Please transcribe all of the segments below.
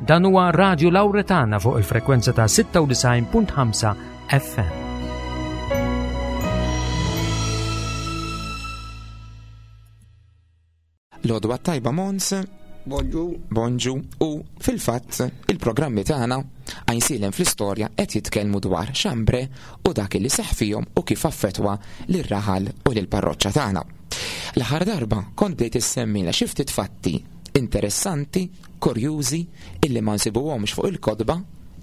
Dan huwa Radio Lauretana fuq il-frekwenza ta' 96.5 FM. L-għodwa tajba Mons. Bonġu. Bonġu. U fil-fatt il-programmi tagħna għajnsilem fl-istorja qed jitkellmu dwar xambre u dak li seħ fihom u kif affettwa lir-raħal u lill-parroċċa tagħna. L-aħħar darba kont bdejt issemmilna xi ftit fatti interessanti, kurjużi, illi ma nsibuhomx fuq il-kotba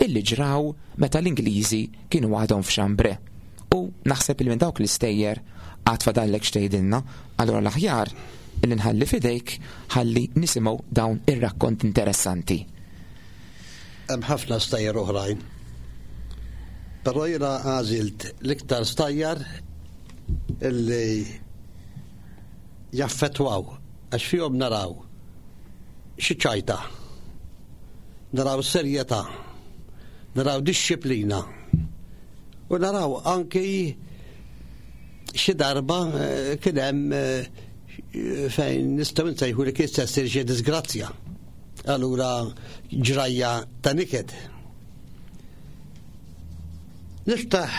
illi ġraw meta l-Ingliżi kienu għadhom f'Xambre. U naħseb li minn dawk l-istejjer għad fadallek x'tgħidilna, allura l-aħjar illi nħalli f'idejk ħalli nisimgħu dawn ir-rakkont interessanti. Hemm ħafna stejjer oħrajn. Però jiena għażilt l-iktar stajjar illi jaffettwaw għax fihom naraw xi ċajta, naraw serjetà, naraw dixxiplina u naraw anki xi darba eh, kien hemm eh, fejn nistgħu nsejħu li kien se ssir xi disgrazzja. Allura ġrajja ta' niket. Niftaħ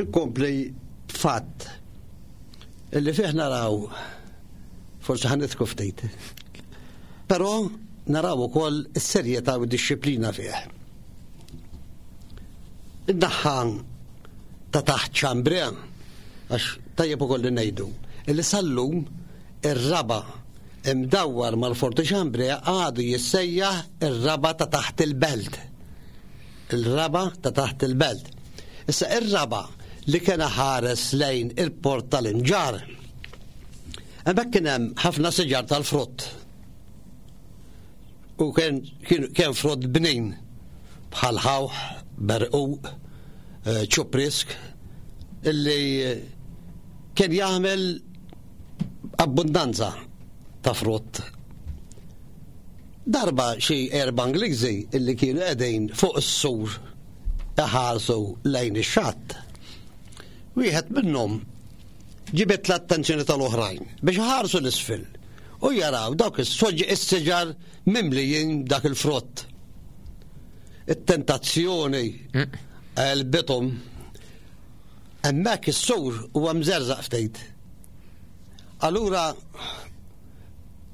inkompli fatt illi fih naraw forsi ħa nidħku ftit. Però naraw ukoll is-serjetà u d-dixxiplina fih. Id-daħħan ta' taħt ċambre, għax tajjeb ukoll li ngħidu, illi sal-lum ir-raba imdawwar mal-Forti Ċambre għadu jissejjaħ ir-raba ta' taħt il-belt. Il-raba ta' taħt il-belt. Issa ir-raba li kien ħares lejn il-port tal-Imġarr. Hemmhekk kien hemm ħafna siġar tal-frott. U kien kien frott bnin bħal ħawħ, berquq, eh, ċuprisk, illi kien jagħmel abbundanza ta' frott. Darba xi erba' Ingliżi illi kienu qegħdin fuq is-sur iħarsu lejn ix-xatt. Wieħed minnhom ġibed l-attenzjoni tal-oħrajn biex iħarsu l-isfel u jaraw dawk is-siġar mimlijin dak il-frott. It-tentazzjoni mm. għelbithom hemmhekk is-sur huwa mżerżaq ftit. Allura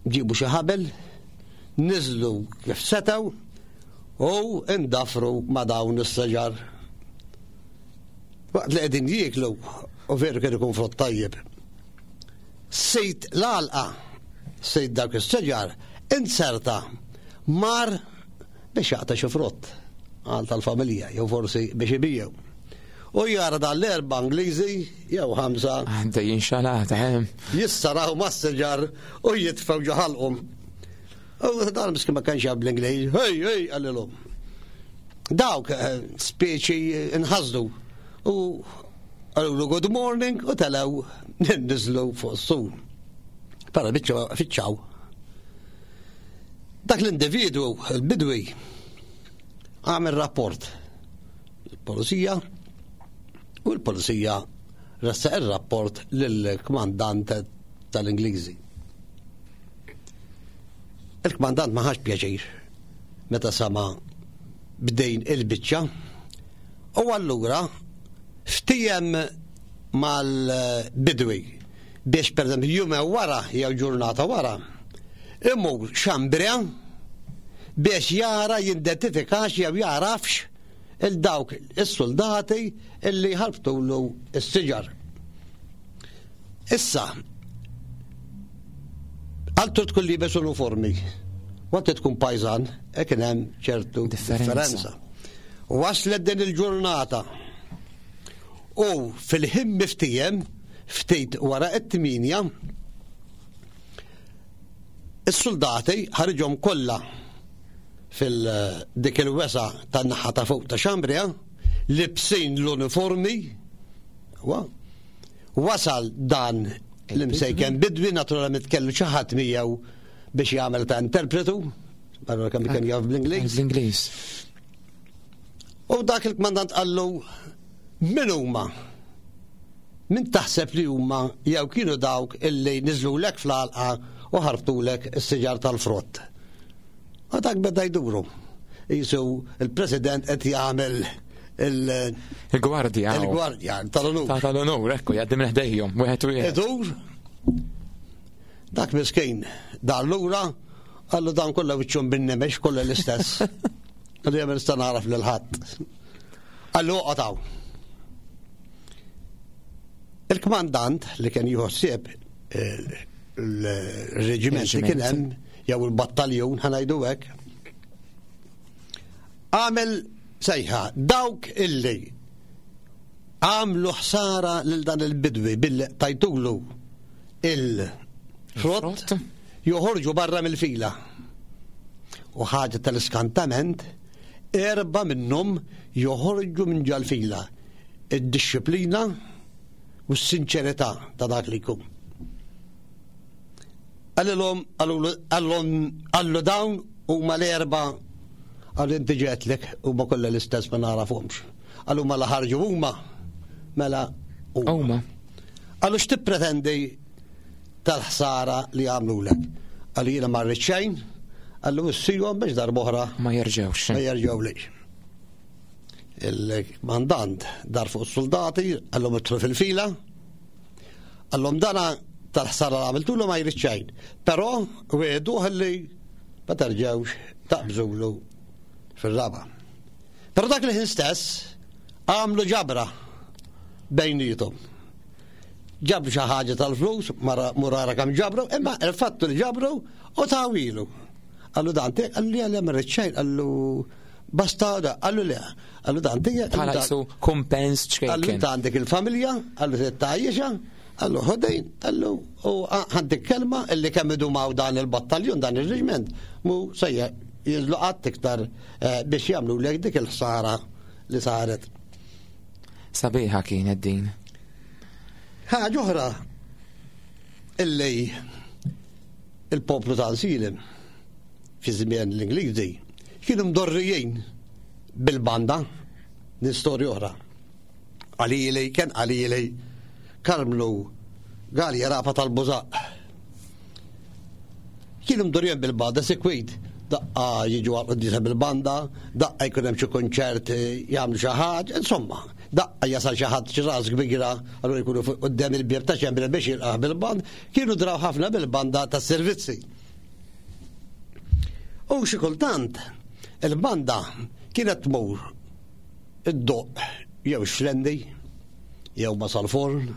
ġibu xi ħabel, niżlu kif setgħu u indafru ma' dawn is-siġar. Waqt li qegħdin jieklu, u veru kien ikun frott tajjeb. Sid l-għalqa, sid dawk is-siġar, inserta mar biex jaqta' xi frott għal tal-familja jew forsi biex ibijew. U jara dan l-erba' Ingliżi jew ħamsa. Għaddejjin xalata, hemm. Eh? Jissaraw mas-siġar u jitfgħu ġo ħalqhom. U dan miskin ma kienx jaf bl-Ingliż, hej, hej, qalilhom. Dawk eh, speċi nħasdu u għalulu good morning u telew nizlu fuq s-sur. Para biċċa fiċċaw. Dak l-individwu, il-bidwi, għamel rapport il-polizija u l-polizija ressaq il-rapport lill-kmandant tal-Ingliżi. Il-kmandant ma ħax pjaċir meta sama b'dejn il-biċċa u allura ftiem mal-bidwi biex per eżempju jume wara jew ġurnata wara imur xambrea biex jara jidentifikax jew jarafx il-dawk is-soldati illi ħarbtulu s-siġar. Issa, għaltu tkun libes uniformi, waqt tkun pajzan, e kien hemm ċertu differenza. Waslet din il-ġurnata u fil-ħin miftijem ftit wara it-tminja is-soldati ħarġhom kollha fil-dik il-wesa tan-naħa ta' fuq ta' Xambria, libsin l-uniformi, Wasal dan l-imsejken bidwi naturalment kellu xi ħadd miegħu biex jagħmel ta' interpretu, barra kemm kien jaf bl-Ingliż. Bl-Ingliż. U dak il-kmandant qallu min huma? Min taħseb li huma jew kienu dawk illi niżlulek fl-għalqa u ħarbtulek is-siġar tal-frott? U dak beda jduru. Jisu il-President qed jagħmel il- Il-gwardja. Il-gwardja tal-onur. Ta' tal-onur, ekku, jgħaddi minn ħdejhom, wieħed wieħed. Idur, dak miskin, dar lura, għallu dan kollha wiċċhom bin-nemex kollha l-istess. Għallu jagħmel nista' nagħraf lil ħadd. Għallu oqgħod Il-kmandant li kien jieħu ħsieb il-reġiment li kien hemm jew il-battaljun ħanajdu hekk. Għamel sejħa dawk illi għamlu ħsara lil dan il-bidwi billi tajtulu il-frott joħorġu barra mill-fila. U ħaġa tal-iskantament, erba minnhom joħorġu minn ġal-fila. Id-disciplina u s-sinċerità ta' dak li jkun. Għallilhom, għallhom, għallu dawn huma l-erba għallu inti ġetlek huma kollha l-istess ma narafhomx. Għallu ma ħarġu huma mela huma. Għallu x'tippretendi tal-ħsara li għamlulek. Għallu jiena ma rrid xejn, għallu issihom biex darb'oħra ma jerġgħux. Ma jerġgħu lix. Il-kmandant dar fuq is-soldati, għallhom idħlu fil-fila, għallhom dana tal-ħsara li għamiltulu ma jrid xejn. Però wieħdu li ma terġgħux taqbżulu fir-raba. Però dak li ħin stess għamlu ġabra bejnietom. Ġabru xi ħaġa tal-flus, murara kemm ġabru, imma il-fattu li ġabru u tawilu. Għallu dan għallu li għallu ma xejn, għallu basta għallu le, għallu dan tiegħek. Bħala jisu kumpens ċkejken. Għallu ta' għandek il-familja, għallu tajjexa, għallu ħodejn, għallu u għandek kelma illi kemm idumaw dan il-battaljun, dan il-reġment, mu sejja jinżlu qatt iktar eh, biex jagħmlu lek dik il-ħsara li saret. Sabiħa kienet din. Ħaġa oħra illi il-poplu ta' Silem fi żmien l-Ingliżi kienu mdorrijin bil-banda din storja oħra. Qalili, kien qalili Karmlu Galja Rafa tal-Bużaq. Kienu mdorrijin bil-banda sikwit daqqa jiġu għal quddisa bil-banda, daqqa jkun hemm xi kunċert jagħmlu xi ħaġa, insomma, daqqa jasal xi ħadd xi ras kbira, allura jkunu quddiem il-bieb ta' ċembra biex jilqah bil-band, kienu draw ħafna bil-banda tas-servizzi. U xi kultant il-banda kienet tmur id-doq jew xlendi jew ma sal-forn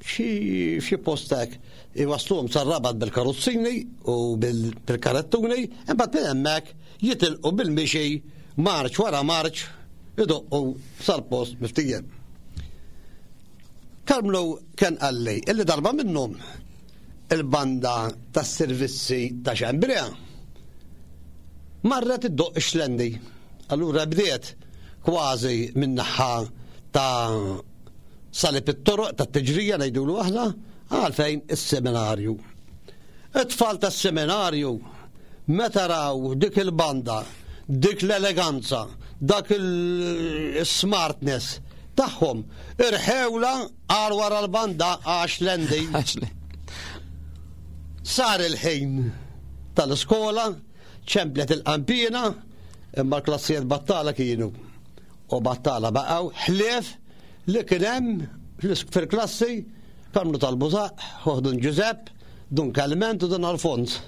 xi post hekk iwasluhom sar-rabat bil-karozzini u bil-karettuni, imbagħad minn hemmhekk jitilqu bil-mixi marċ wara marċ idoqqu sal-post miftijem. Karmlu kien qalli illi darba minnhom il-banda tas-servizzi ta' Xembrea marret iddoqq ix-xlendi. Allura bdiet kważi min-naħa ta' salib it-toroq tat-tiġrija ngħidulu aħna għalfejn is-seminarju. It-tfal tas-seminarju meta raw dik il-banda, dik l-eleganza, dak il-smartness tagħhom, irħewla għal wara l-banda għax lendi. Sar il-ħin tal-iskola, ċemplet il-qampina, imma l-klassijiet battala kienu. U battala baqgħu ħlief li kien hemm fil-klassi Karmnu tal-Bużaq, Dun Ġużepp, Dun Kalment u Dun Alfons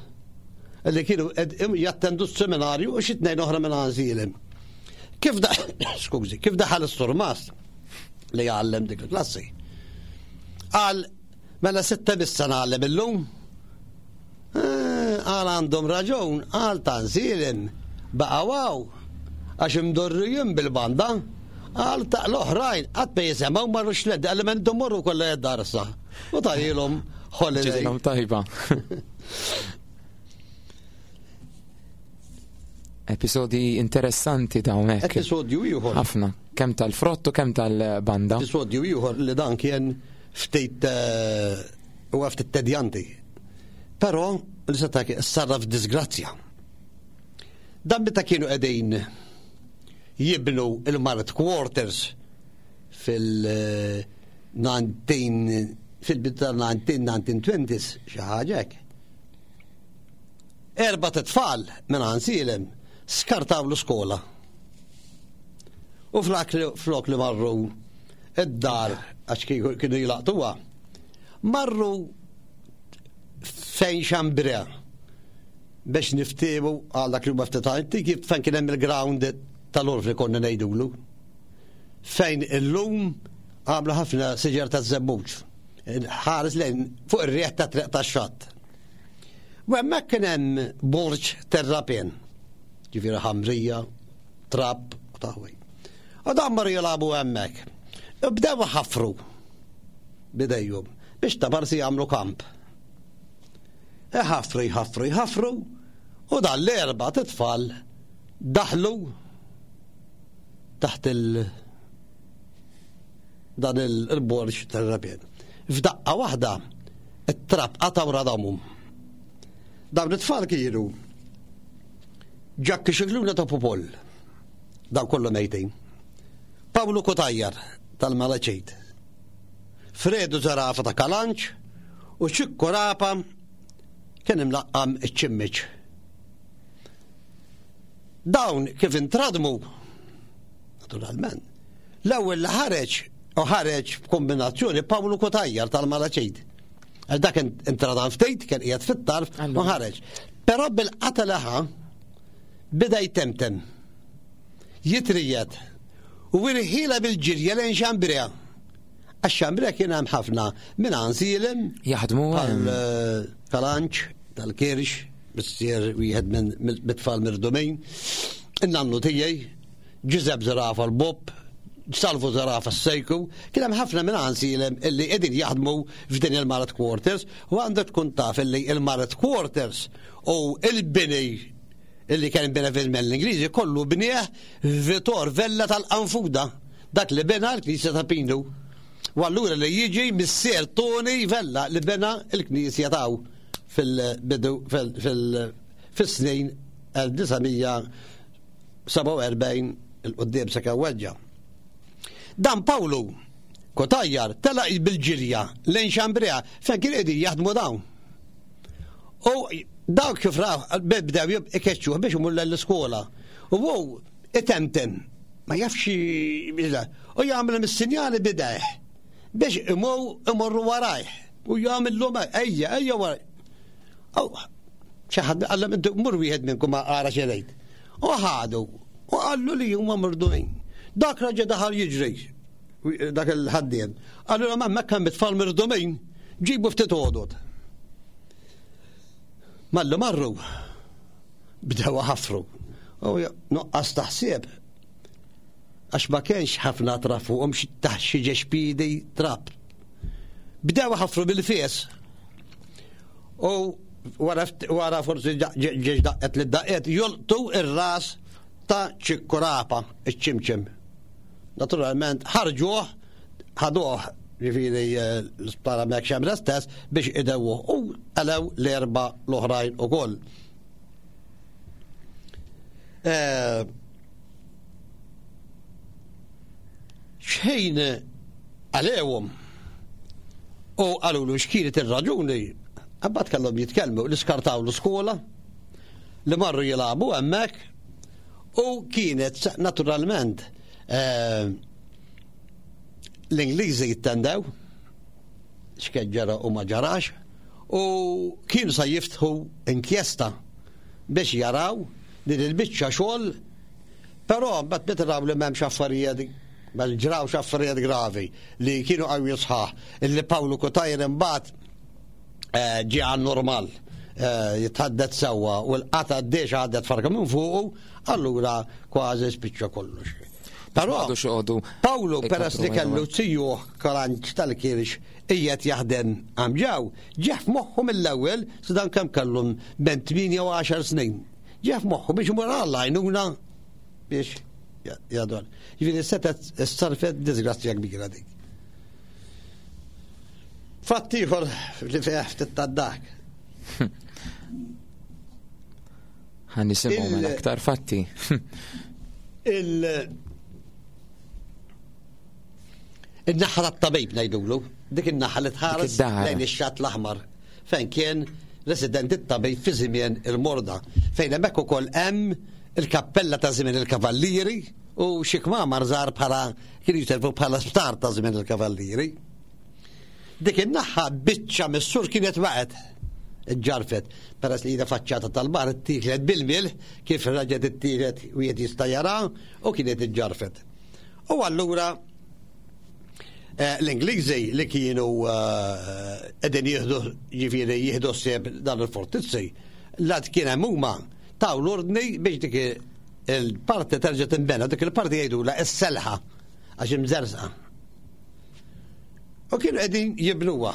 li kienu jattendu s-seminarju u xi tnejn oħra minn għanżilem. Kif da, skużi, kif daħal is-surmast li jgħallem dik il-klassi? Qal, mela sitta bissa ngħallem illum? Eh, qal għandhom raġun, qal ta' nsilem, baqa' waw, għax imdorrijin bil-banda, qal ta' l-oħrajn, qatt ma jisemgħu marru xled, qal men morru kollha id-darsa. U tajilhom holiday. Tajba. Episodi interessanti dawn hekk. Episodju ieħor. Ħafna, kemm tal-frott u kemm tal-banda. Episodju ieħor li dan kien ftit eh, huwa ftit tedjanti. Però li seta' sarra f'disgrazzja. Dan meta kienu qegħdin jibnu il-Mart Quarters fil-19 fil-bidu tal-1920s xi ħaġa hekk. Erbat itfal minn Għansielem Skartaw l-iskola. U flok li, flok li marru id-dar għax kienu jilaqtuha, marru fejn xambra biex niftiemu għal dak li huma ftit antiki fejn kien hemm il-ground tal-orf li konna ngħidulu. Fejn illum għamlu ħafna siġar ta' żebbuġ. Ħares lejn fuq ir-riħ ta' triq tax-xatt. U hemmhekk kien hemm borġ terrapien. Ġifieri ħamrija, trab u taħwi. U dan marru jilagħbu hemmhekk. U bdew ħafru bidejhom biex ta' parsi jagħmlu kamp. Iħafru, jħafru, jħafru u dan l-erba' titfal daħlu taħt il- dan il-borġ tal-rabien. F'daqqa waħda, it-trab qata' radamhom. Dawn it-tfal kienu Ġakki Xikluna ta' Popol, dawn kollu mejtin. Pawlu Kutajjar tal-Malaċit, Fredu Zarafa ta' Kalanċ u Ċikku Rapa kien imlaqqam iċ-ċimmiċ. Dawn kif intradmu, naturalment, l-ewwel li ħareġ u ħareġ b'kombinazzjoni Pawlu Kutajjar tal-Malaċit. Għal dak intradam ftit, kien qiegħed fit-tarf u ħareġ. Però bil-qata laħa bida jtemtem. Jitrijet u irħila bil-ġirja lejn Xambrea. Għax Xambrea kien hemm ħafna minn Ansilem. Jaħdmu eh, tal-Anċ, tal-Kirx, missier wieħed minn mit-tfal mirdumin. In-nannu tiegħi, Ġiżeb Zerafa l-Bob, Salvu Zerafa s-Sejku, kien hemm ħafna minn Ansilem illi qegħdin jaħdmu f'din il-Marat Quarters u għandek tkun taf illi il-Marat Quarters u il-bini illi kien bena fil-żmien l-Ingliżi kollu bnieh Vitor Vella tal-Qanfuda, dak li bena l-Knisja ta' Pinu. U allura li jiġi missier Tony Vella li bena l-Knisja taw fil-bidu fil-snin 1947 il-qudiem sakemm weġġa'. Dan Pawlu Kotajjar telaq bil-ġirja lejn Xambrea fejn kien qegħdin jaħdmu dawn. U dawk kif raw bdew ikeċċuh biex imur l-iskola. U hu itemtem, ma jafx u jagħmel mis-sinjali bidejh biex imur imorru warajh u jagħmilhom ejja ejja waraj. Xi ħadd qallhom intu mur wieħed minnkom ara xi ngħid. U ħadu u qallu li huma murdumin. Dak raġa daħal jiġri dak il-ħaddiem. Qallu ma hemmhekk hemm it-tfal mirdumin, ġibu ftit għodod. Mallu marru, bdew ħafru. U nuqqas taħsieb għax ma kienx ħafna trab fuqhom taħt xi ġexpidi trab. Bdew ħafru bil-fies. U wara forsi ġiex daqqet li daqqet jolqtu ir-ras ta' ċikkurapa, iċ-ċimċim. Naturalment ħarġuh, ħaduh ġifieri eh, l-isptar hemmhekk xemra stess biex idewwuh u għalew l-erba' l-oħrajn ukoll. Eh, xħin għalewhom u qalulu x'kienet ir-raġuni, imbagħad kellhom jitkellmu li skartaw l-iskola li marru jilagħbu hemmhekk u kienet naturalment eh, l-Ingliżi jittendew x'kien ġara u ma ġarax u kienu sa jiftħu inkjesta biex jaraw din il-biċċa xogħol però mbagħad meta raw li m'hemmx affarijiet Ma ġrawx affarijiet gravi li kienu qawwi sħaħ illi Pawlu Kutajr imbagħad eh, ġie għan normal eh, jitħaddet sewwa u l-qata d-dex għaddet farka minn fuqu, allura kważi spiċċa kollox. Però Pawlu peress li kellu zijuh kalanċ tal-kirx qiegħed jaħdem għamġaw, ġeħ f'moħħu mill-ewwel dan kemm kellhom ben 8 u 10 snin. Ġeħ f'moħħu biex imur għall-għajnuna biex jadwar. Ġifieri setet sarfet disgrazzja kbira dik. Fatt ieħor li fih ftit tad-dak. Ħan nisimgħu minn aktar fatti. Il In-naħa tat-tabib ngħidulu, dik in-naħa li tħares lejn ix-xatt l-aħmar fejn kien resident it-tabib fi żmien il-morda, fejn hemmhekk ukoll hemm il-kappella ta' żmien il-Kavallieri u xi kmamar żgħar bħala kienu jiservu bħala sptar ta' żmien il-Kavallieri. Dik in-naħa biċċa mis-sur kienet waqgħet ġarfet peress li hija faċċata tal-bar ittieklet bil-mil kif raġet ittielet wieħed jista' jara u kienet iġġarfet. U allura eh, l-Ingliżi li kienu eh, qegħdin jieħdu ġifieri jieħdu sseb dan il-fortizzi, lat kien hemm huma taw l-ordni biex dik il-parti terġa' tinbena, dik il-parti jgħidula s-selħa għax imżersa. U kienu qegħdin jibnuha,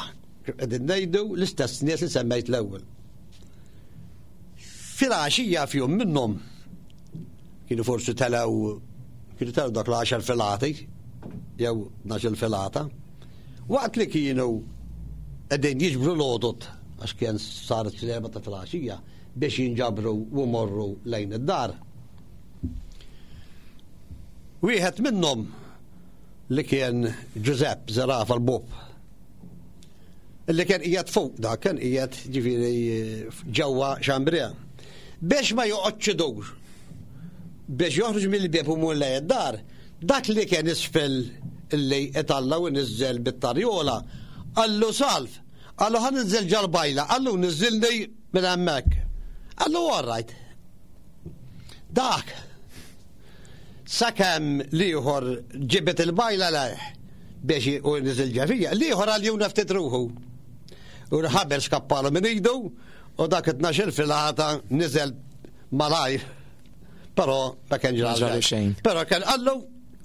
qegħdin ngħidu l-istess nies li semmejt l-ewwel. Filgħaxija fjum minnhom kienu forsi telgħu kienu telgħu dak l-10 filati jew 12 filata. Waqt li kienu qegħdin jiġbru l-għodot għax kien saret fl-erba ta' filgħaxija biex jinġabru u morru lejn id-dar. Wieħed minnhom li kien Ġużepp Zerafa l-Bub. Li kien qiegħed fuq dak, kien qiegħed ġifieri ġewwa Xambrea. Biex ma joqgħodx idur, biex joħroġ mill-bieb u mur lejn id-dar, dak li kien isfel li italla u niżel bit-tarjola, qallu salv, qallu ħa ninżel ġal-bajla, qallu niżilni minn hemmhekk. Qallu all right. Dak Sakemm l-ieħor ġibed il-bajla lejh biex u niżel ġefija, l-ieħor għal juna ftit ruħu. U l-ħabel skappalu minn idu u dak it-tnax-il filgħata niżel malajr. Però ma kien ġralu xejn. Però kien qallu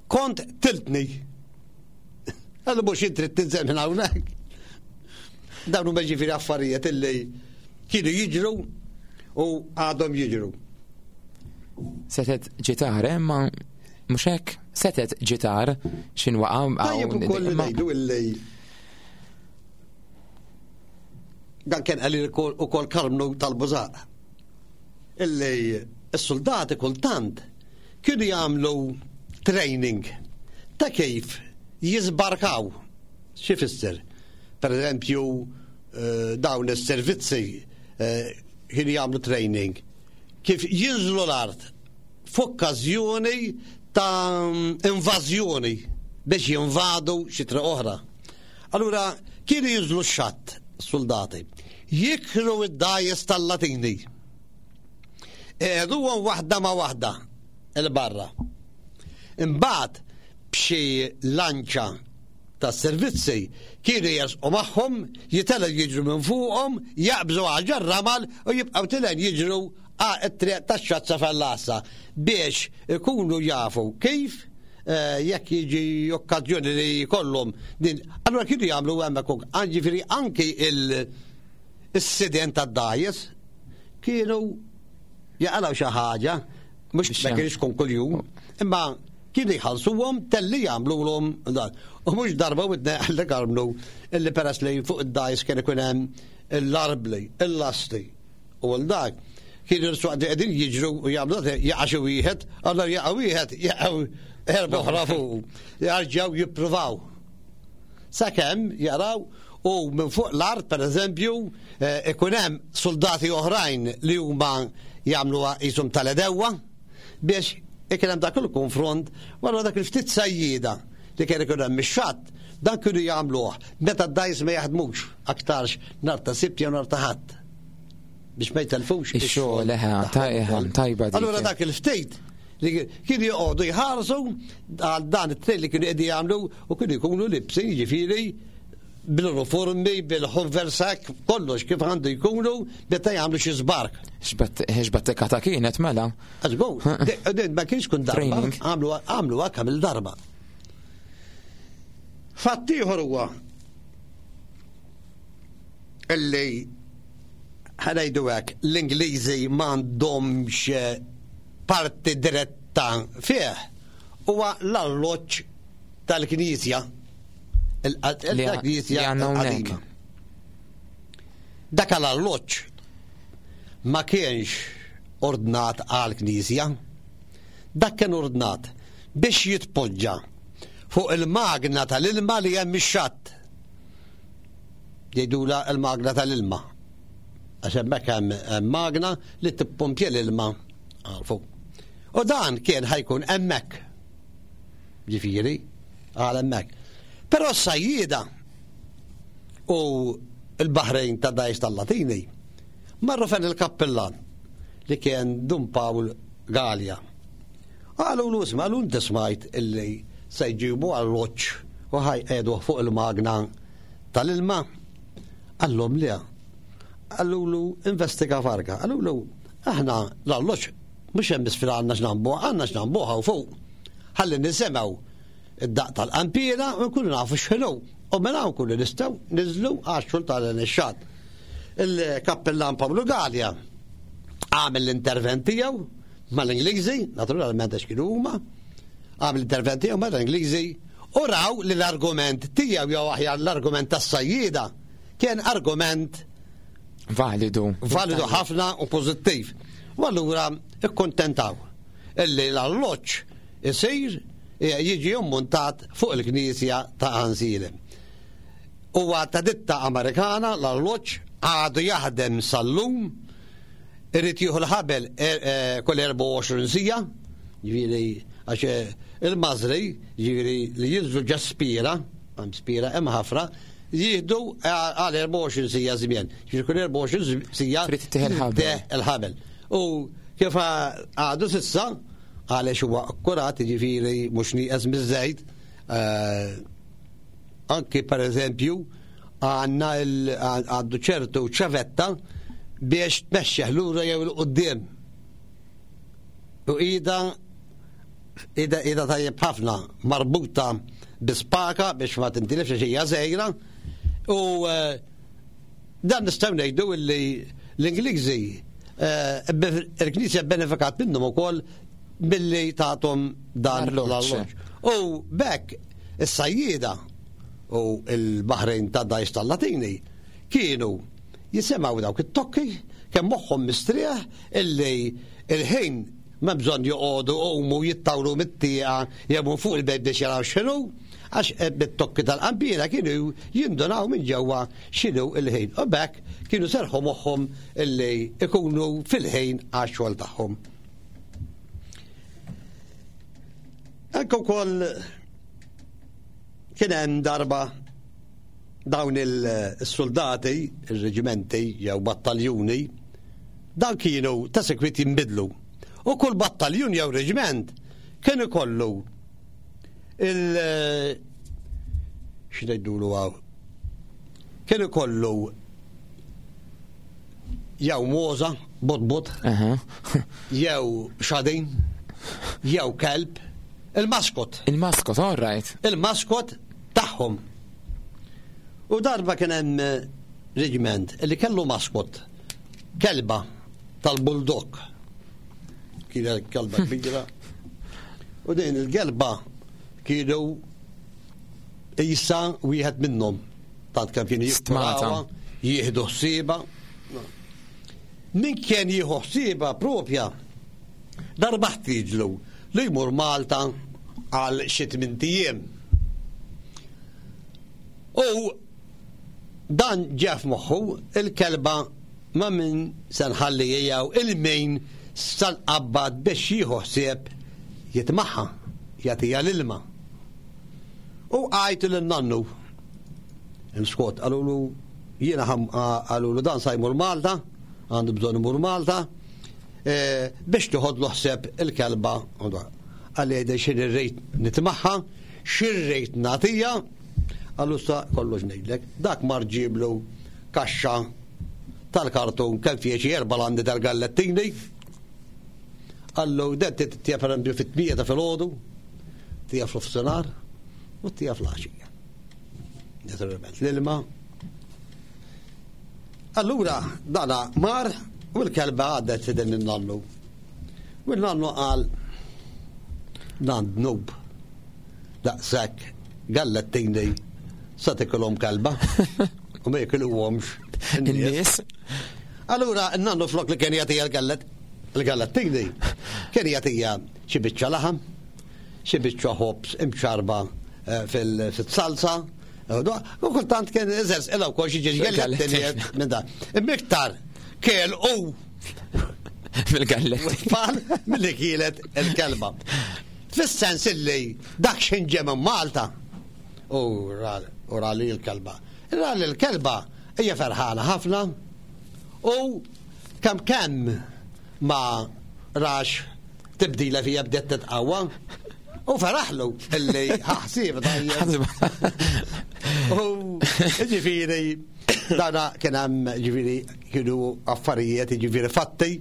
kont tiltni. Qallu mhux int trid tinżel minn hawnhekk. Dawn huma ġifieri affarijiet illi kienu jiġru u għadhom jiġru. Setet ġitar, eh, ma mhux hekk, setet ġitar x'in waqa' Tajjeb ukoll ngħidu illi dan kien għalli ukoll Karmnu tal-Bużaq. Illi s-soldati kultant kienu jagħmlu training ta' kif jiżbarkaw. Xi fisser? Per eżempju, eh, dawn is-servizzi eh, kienu jagħmlu training kif jinżlu l-art f'okkażjoni ta' invażjoni biex jinvadu xi triq oħra. Allura kienu jinżlu x-xatt soldati, jikru id-dajes tal-Latini. Eħduhom waħda ma' waħda il-barra. Imbagħad b'xi lanċa tas-servizzi kienu jersqu magħhom, jitelgħu jiġru minn fuqhom, jaqbżu għal ġar-ramal u jibqgħu tilgħin jiġru għat-triq tax-Xazza Fellassa biex ikunu jafu kif eh, jekk jiġi okkażjoni li jkollhom din. Allura kienu jagħmlu hemmhekk ġifieri anki il-sidien tad-dajes kienu jaqalgħu xi ħaġa mhux ma kienx tkun kuljum, imma Kienu jħallsuhom telli jagħmlulhom dan. U mhux darba u tnejn għalli Karmnu illi peress li fuq id-dgħajs kien ikun hemm l-arbli, il-lasti u l dak. Kienu l-swaqt qegħdin jiġru u jagħmlu dak jaqa' xi wieħed, allura jaqa' wieħed, jaqgħu erba' oħra fuq. Jarġgħu jippruvaw. Sakemm jaraw u minn fuq l-art pereżempju eh, ikun hemm soldati oħrajn li huma jagħmluha qishom tal-edewwa biex ikun hemm dak il-konfront wara dak il-ftit sajjieda li kien ikun hemm ix-xatt dan kienu jagħmluh meta d-dajs ma jaħdmux aktarx nhar ta' Sibt jew nhar ta' Ħadd biex ma jtelfux ix-xogħol eħe tajba. Allura dak il-ftit li kienu joqogħdu jħarsu għal dan it-tnejn li kienu qegħdin jagħmlu u kienu jkunu libsin jiġifieri bil-uniformi, bil-ħonversak, kollox kif għandu jkunu meta jagħmlu xi żbark. X'battekata kienet mela? Għażbu, ma kienx kun darba, għamlu hekk għamil darba. Fatt ieħor huwa illi ħanajdu hekk l-Ingliżi m'għandhomx parti diretta fih huwa l-alloġġ tal-Knisja. Il-Knisja għandna Dak l-alloġġ ma kienx ordnat għal knisja. Dak kien ordnat biex jitpoġġa fuq il-magna tal-ilma li hemm ix-xatt. Jgħidula il-magna tal-ilma. Għax hemmhekk hemm magna li tippompja l-ilma għal fuq. U dan kien ħajkun hemmhekk. Ġifieri, għal hemmhekk. Però s-sajjieda u l-Baħrejn ta' Dajs tal-Latini marru fejn il-kappillan li kien Dun Pawl Galea. Qalulu isma' qalu inti smajt illi se jġibu alloġġ u ħajqegħduh fuq il-magna tal-ilma? Qallhom le. Qalulu investiga farka. Qalulu aħna l-alloġġ mhux hemm isfel għandna x'nambuh, għandna x'nambuh hawn fuq. Ħalli nisimgħu id-daqq tal-qanpiena u nkunu nafu x'ħinu. U minn hawn nkunu nistgħu niżlu għax-xogħol tal-nixxat. Il-kappillan Pawlu Galea għamel l-intervent tiegħu mal-Ingliżi, naturalment għax kienu huma, għamel l-intervent tiegħu mal-Ingliżi u raw li l-argument tiegħu jew aħjar l-argument tas-sajjieda kien argument validu. Validu ħafna u pożittiv. U allura ikkontentaw illi l-alloġġ isir jiġi mmuntat fuq il-knisja ta' Ansilem. Huwa ta' ditta Amerikana l-alloġġ għadu jaħdem sal-lum Irid jieħu l-ħabel kull 24 siegħa, ġifieri għax il-mażri, ġifieri li jinżlu ġa spira, hemm spira hemm ħafra, jieħdu għal 24 siegħa żmien. Ġifieri kull 24 siegħa Trid tieħ il-ħabel. il-ħabel. U kif għadu sissa, għaliex huwa akkurat, ġifieri mhux nieqes miż-żejt, Anki per eżempju għandna għandu ċertu ċavetta biex tmexxih lura jew 'il quddiem. U ida ida ida tajjeb ħafna marbuta bi spaka biex ma tintilifx għax hija żgħira. U eh, dan nistgħu ngħidu li l-Ingliżi eh, il-Knisja benefikat minnhom ukoll billi tagħthom dan l-alloġġ. U bekk Is-sajjieda u l-baħrin ta' dgħajs tal-Latini kienu jisimgħu dawk it-tokki kemm moħħhom mistrieħ illi il-ħin m'hemm bżonn joqogħdu jqumu jittawlu mit-tieqa jew minn fuq il-bejt biex jaraw x'inhu, għax bit-tokki tal-qanpiena kienu jindunaw minn ġewwa x'inhu l-ħin u b'hekk kienu serrħu moħħhom illi jkunu fil-ħin għax-xogħol tagħhom. Anke wkoll kien hemm darba dawn il-soldati, il-reġimenti jew battaljuni, dan kienu ta' sekwit jinbidlu. U kull battaljun jew reġiment kien ikollu il x'ngħidulu hawn. Kien ikollu jew moza, bot-bot, jew xadin, jew kelb, il-maskot. Il-maskot, all right. Il-maskot tagħhom. U darba kien hemm eh, reġiment li kellu maskot, kelba tal-bulldog. Kienet kelba kbira. U din il-kelba kienu isa wieħed minnhom. Tant kemm kienu jikkurawha, jieħdu ħsiebha. Min kien jieħu ħsiebha propja darba ħtieġlu li jmur Malta għal xi tmint ijiem. U dan ġie f'moħħu il-kelba ma' min se nħalli jew il-min se nqabbad biex jieħu ħsieb jitmaħħa, jagħtiha l-ilma. U għajtu lin-nannu. Scott qalulu jiena qalulu dan sa jmur Malta, għandu bżonn imur Malta, e, biex tiħodlu ħseb il-kelba. Qalli jgħidha xi rrid nitmaħħa, xi rrid nagħtija, qallu sa kollox ngħidlek. Dak mar ġiblu kaxxa tal-kartun kemm fih xi erba' landi tal-gallettini. Qallu dan titja pereżempju fit-tmija ta' filgħodu, tija fl-ofsinhar u tija fl-għaxija. Naturalment l-ilma. Allura dana mar u l-kelba għaddet fidin il-nannu. U l-nannu qal dan dnub daqshekk gallettini sa tikolhom kelba u ma jikiluhomx in-nies. Allura n-nannu flok li kien jagħtiha l-gallet il-gallettini kien jagħtiha xi biċċa laħam, xi biċċa ħobż imxarba eh, fil-salsa, eh, u kultant kien iżers ila wkoll xi ġiex gallettini minn dan. Imma iktar kiel u. Mill-galletti. Tfal milli kielet il-kelba. Fis-sens illi dak x'ħin ġie minn Malta u rali l-kelba. Rali l-kelba hija ferħana ħafna u kemm kemm ma rax tibdila fija bdiet titqawwa u feraħlu illi ħaħsib tajjeb. U ġifieri dana kien hemm ġifieri kienu affarijiet ġifieri fatti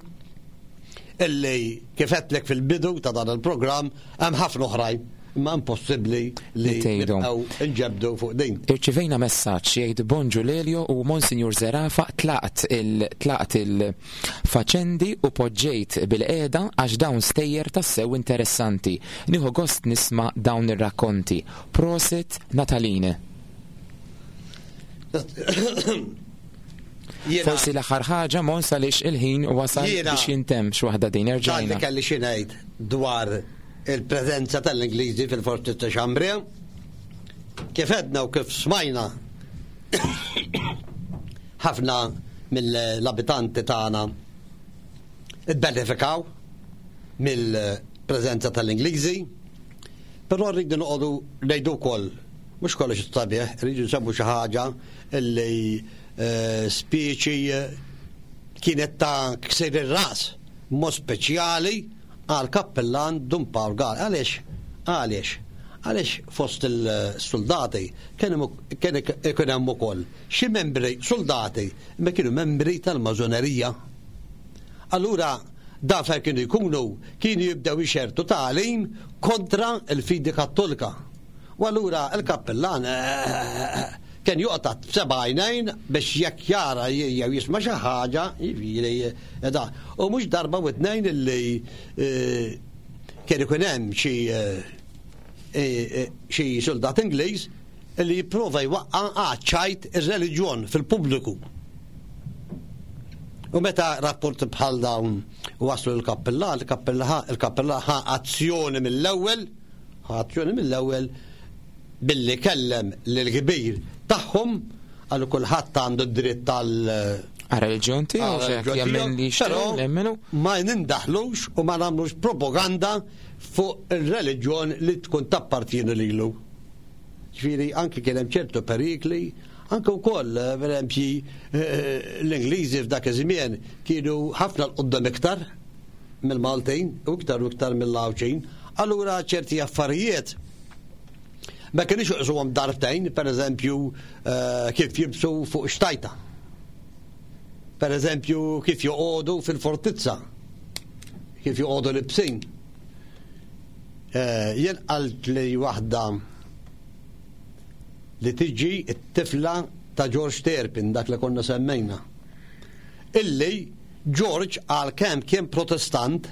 illi kif għedtlek fil-bidu ta' dan il-programm hemm ħafna oħrajn imma impossibbli li nibqgħu nġebdu fuq din. Irċivejna messaġġ jgħid Bonġu Lelio u Monsinjur Zerafa tlaqt il tlaqt il-faċendi u poġġejt bil-qiegħda għax dawn stejjer tassew interessanti. Nieħu gost nisma' dawn ir-rakkonti. Prosit Nataline. Forsi l-aħħar ħaġa Mons għaliex il-ħin wasal biex jintemm x'waħda din erġajna. Dan li kelli xi ngħid dwar il-preżenza tal-Ingliżi fil-Forti ta' Chambray. Kif għedna u kif smajna ħafna mill-abitanti tagħna ibbenefikaw mill-preżenza tal-Ingliżi, però rridu noqogħdu ngħidu wkoll mhux kollox sabiħ, rridu nsemmu xi ħaġa illi speċi kienet ta' ksir ir-ras mod speċjali għal kappillan Dun Pawl Gal. Għaliex? Għaliex? Għaliex fost il-soldati kien ikun hemm ukoll xi membri soldati imma kienu membri tal-mażonerija. Allura dan fejn kienu jkunu kienu jibdew ixertu tagħlim kontra l-fidi Kattolika. U allura l-kappillan kien joqgħod b'seba' għajnejn biex jekk jara jew jisma' xi ħaġa, jiġifieri da. U mhux darba u tnejn illi kien ikun hemm xi xi suldat Ingliż illi jipprova jwaqqa' għaċ-ċajt ir-reliġjon fil-pubbliku. U meta rapporti bħal dawn waslu l-kappillan, il-kappillan ħa azzjoni mill-ewwel Ħa azzjoni mill-ewwel billi kellem lill-kbir tagħhom għal kulħadd għandu d-dritt għal Għal-reliġjon tiegħu x'hekk jemmen li jixtieq jemmenu. Ma nindaħlux u ma nagħmlux propaganda fuq ir-reliġjon li tkun tappartieni lilu. Ġifieri anki kien hemm ċertu perikli, anke wkoll pereżempju l-Ingliżi f'dak iż-żmien kienu ħafna 'l quddiem iktar mill-Maltin u iktar u iktar mill-Għawdxin, allura ċerti affarijiet ma kienux juqsuhom darbtejn, per eżempju eh, kif jibsu fuq xtajta. Per eżempju kif joqogħdu fil-fortizza, kif joqogħdu libsin. Eh, jien qalt li waħda li tiġi t-tifla ta' George Terpin, dak li konna semmejna. Illi George għalkemm kien Protestant,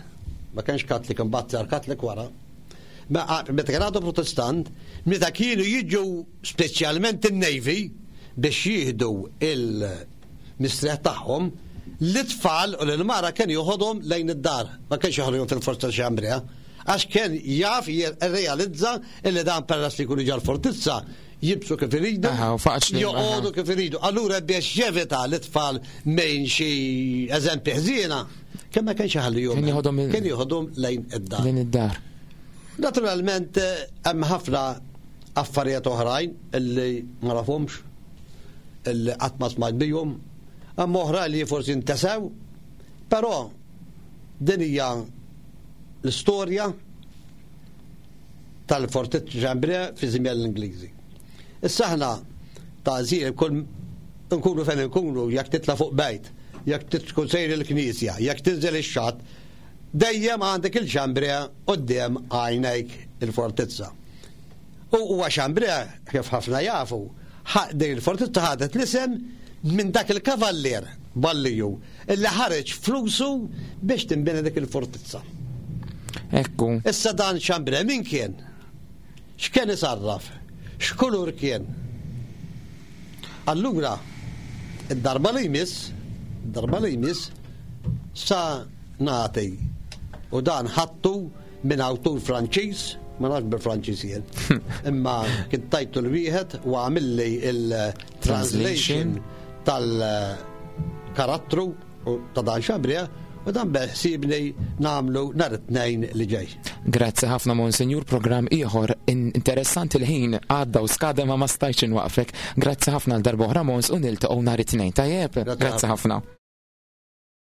ma kienx Kattlik imbagħad sar Kattlik wara, meta kien għadu Protestant, meta kienu jiġu speċjalment in-Navy biex jieħdu il-mistrieħ tagħhom, l-itfal u l-mara kien joħodhom lejn id-dar, ma kienx joħodhom fil-forza xi Andrea, għax kien jaf jirrealizza illi dan peress li jkunu ġal-fortizza jibsu kif iridu, joqogħdu kif iridu. Allura biex jevita l-itfal minn xi eżempji ħżiena, kemm ma kienx iħallihom. Kien joħodhom lejn id-dar. Lejn id-dar. Naturalment eh, hemm ħafna affarijiet oħrajn illi ma nafhomx, illi qatt ma smajt bihom, hemm oħra li forsi ntesew, però din hija l-istorja tal-Fortizza Chambray fi żmien l-Ingliżi. Issa aħna ta' żir kull nkunu fejn nkunu, jekk titla' fuq bejt, jekk tkun sejr il-knisja, jekk tinżel ix-xatt, dejjem għandek il-Chambray quddiem għajnejk il-fortizza. U huwa Chambray, kif ħafna jafu, din il-fortizza ħadet l-isem minn dak il-kavallier Balliju illi ħareġ flusu biex tinbena dik il-fortizza. Ekku. Issa dan Chambray min kien? X'kien isarraf? X'kulur kien? Allura, id-darba li jmiss, darba li jmiss, sa nagħti u dan ħattu minn awtur Franċiż, ma nafx bil-Franċiż jien, imma kien tajtu l-wieħed u għamilli il-translation tal-karattru ta' dan Chambray. U dan beħsiebni nagħmlu nhar it-Tnejn li ġej. Grazzi ħafna Monsinjur, programm ieħor interessanti l-ħin għadda u skada ma ma stajtx inwaqfek. Grazzi ħafna għal darb'oħra Mons u niltaqgħu nhar it-Tnejn. Tajjeb, grazzi ħafna.